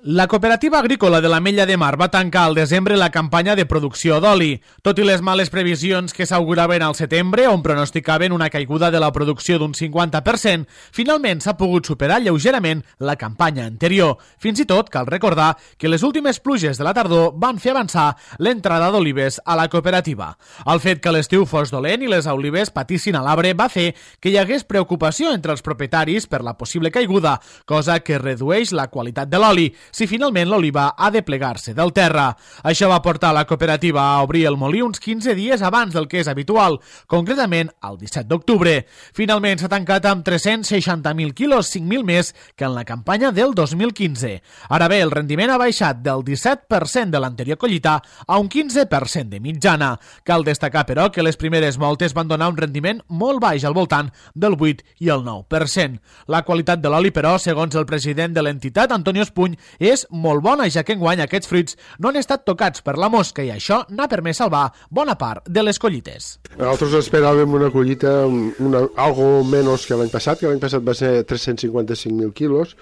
La cooperativa agrícola de l'Ametlla de Mar va tancar al desembre la campanya de producció d'oli. Tot i les males previsions que s'auguraven al setembre, on pronosticaven una caiguda de la producció d'un 50%, finalment s'ha pogut superar lleugerament la campanya anterior. Fins i tot cal recordar que les últimes pluges de la tardor van fer avançar l'entrada d'olives a la cooperativa. El fet que l'estiu fos dolent i les olives patissin a l'arbre va fer que hi hagués preocupació entre els propietaris per la possible caiguda, cosa que redueix la qualitat de l'oli, si finalment l'oliva ha de plegar-se del terra. Això va portar la cooperativa a obrir el molí uns 15 dies abans del que és habitual, concretament el 17 d'octubre. Finalment s'ha tancat amb 360.000 quilos, 5.000 més que en la campanya del 2015. Ara bé, el rendiment ha baixat del 17% de l'anterior collita a un 15% de mitjana. Cal destacar, però, que les primeres moltes van donar un rendiment molt baix, al voltant del 8 i el 9%. La qualitat de l'oli, però, segons el president de l'entitat, Antonio Espuny, és molt bona, ja que enguany aquests fruits no han estat tocats per la mosca i això n'ha permès salvar bona part de les collites. Nosaltres esperàvem una collita algo menys que l'any passat va ser 355.000 quilos,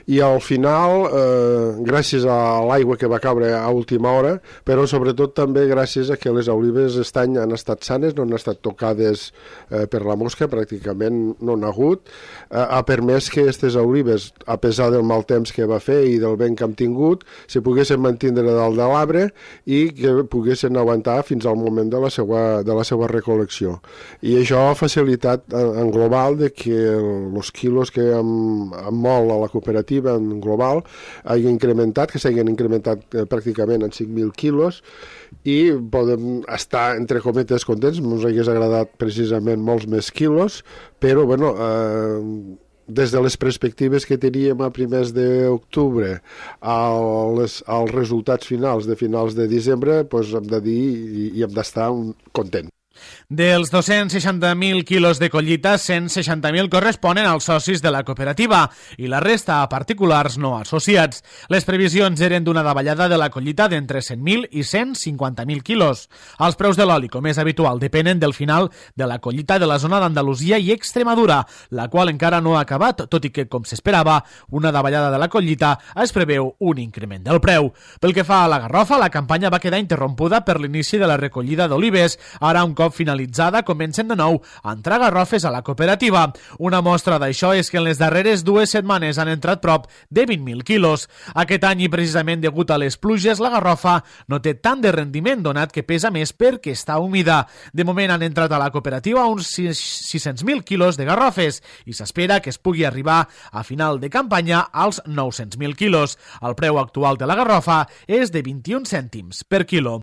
i al final, gràcies a l'aigua que va caure a última hora, però sobretot també gràcies a que les olives aquest any han estat sanes, no han estat tocades per la mosca, pràcticament no n'ha hagut, ha permès que aquestes olives, a pesar del mal temps que va fer i del vent que hem tingut, se poguessin mantindre dalt de l'arbre i que poguessin aguantar fins al moment de la seva recol·lecció. I això ha facilitat en global de que els quilos que hem molt a la cooperativa en global hagin incrementat, que s'hagin incrementat pràcticament en 5.000 quilos, i podem estar, entre cometes, contents. Ens hagués agradat precisament molts més quilos, però bueno, des de les perspectives que teníem a primers d'octubre als resultats finals de desembre, doncs hem de dir i hem d'estar contents. Dels 260.000 quilos de collita, 160.000 corresponen als socis de la cooperativa i la resta a particulars no associats. Les previsions eren d'una davallada de la collita d'entre 100.000 i 150.000 quilos. Els preus de l'oli, com és habitual, depenen del final de la collita de la zona d'Andalusia i Extremadura, la qual encara no ha acabat, tot i que, com s'esperava, una davallada de la collita es preveu un increment del preu. Pel que fa a la garrofa, la campanya va quedar interrompuda per l'inici de la recollida d'olives. Ara, un cop finalitzada, comencen de nou a entrar garrofes a la cooperativa. Una mostra d'això és que en les darreres 2 setmanes han entrat prop de 20.000 quilos. Aquest any, i precisament degut a les pluges, la garrofa no té tant de rendiment, donat que pesa més perquè està humida. De moment han entrat a la cooperativa uns 600.000 quilos de garrofes i s'espera que es pugui arribar a final de campanya als 900.000 quilos. El preu actual de la garrofa és de 21 cèntims per quilo.